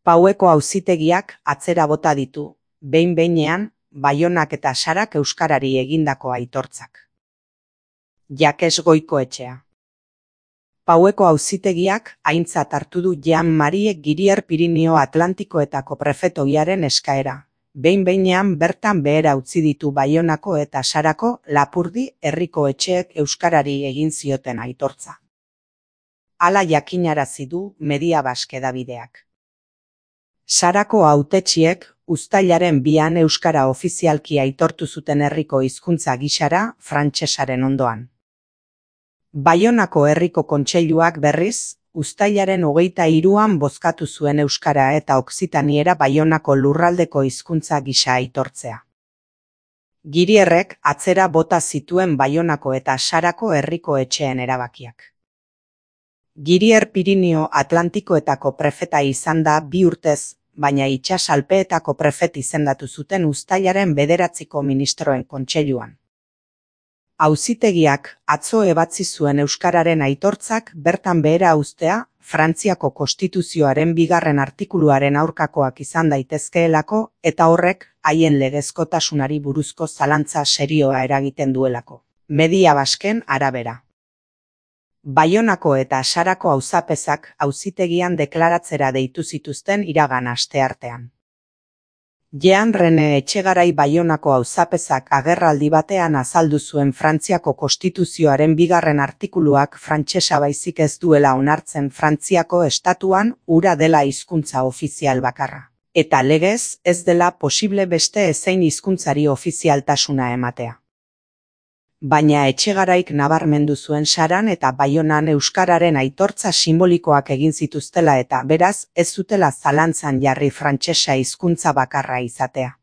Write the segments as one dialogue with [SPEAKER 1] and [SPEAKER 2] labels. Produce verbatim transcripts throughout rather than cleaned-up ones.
[SPEAKER 1] Paueko auzitegiak atzera bota ditu, behin-behinean, Baionak eta Sarak euskarari egindako aitortzak. Jakes Goikoetxea. Paueko auzitegiak aintzat hartu du Jean-Marie Girier Pirinio Atlantikoetako prefetoiaren eskaera. Behin-behinean bertan behera utzi ditu Baionako eta Sarako Lapurdi herriko etxeek euskarari egin zioten aitortza. Hala jakinarazi du Media Basque hedabideak. Sarako hautetsiek uztailaren bian euskara ofizialki aitortu zuten herriko hizkuntza gisara frantsesaren ondoan. Baionako herriko kontseiluak berriz, uztailaren hogeita hiruan bozkatu zuen euskara eta okzitaniera Baionako lurraldeko hizkuntza gisa aitortzea. Girierrek atzera bota zituen Baionako eta Sarako herriko etxeen erabakiak. Girier Pirinio Atlantikoetako prefeta izan da bi urtez, baina itsas alpeetako prefet izendatu zuten uztailaren bederatziko ministroen kontseiluan. Auzitegiak atzo ebatzi zuen euskararen aitortzak bertan behera uztea, Frantziako konstituzioaren bigarren artikuluaren aurkakoak izan daitezkeelako eta horrek haien legezkotasunari buruzko zalantza serioa eragiten duelako. Media Basken arabera. Baionako eta Sarako auzapezak auzitegian deklaratzera deitu zituzten iragan asteartean. Jean Rene Etxegarai Baionako auzapezak agerraldi batean azaldu zuen Frantziako konstituzioaren bigarren artikuluak frantsesa baizik ez duela onartzen Frantziako estatuan hura dela hizkuntza ofizial bakarra. Eta legez ez dela posible beste ezein hizkuntzari ofizialtasuna ematea. Baina Etxegaraik nabarmendu zuen Saran eta Baionan euskararen aitortza simbolikoak egin zituztela eta beraz ez zutela zalantzan jarri frantsesa hizkuntza bakarra izatea.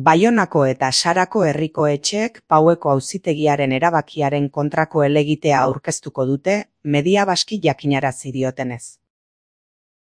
[SPEAKER 1] Baionako eta Sarako herriko etxeek Paueko auzitegiaren erabakiaren kontrako helegitea aurkeztuko dute, Media Basque jakinarazi diotenez.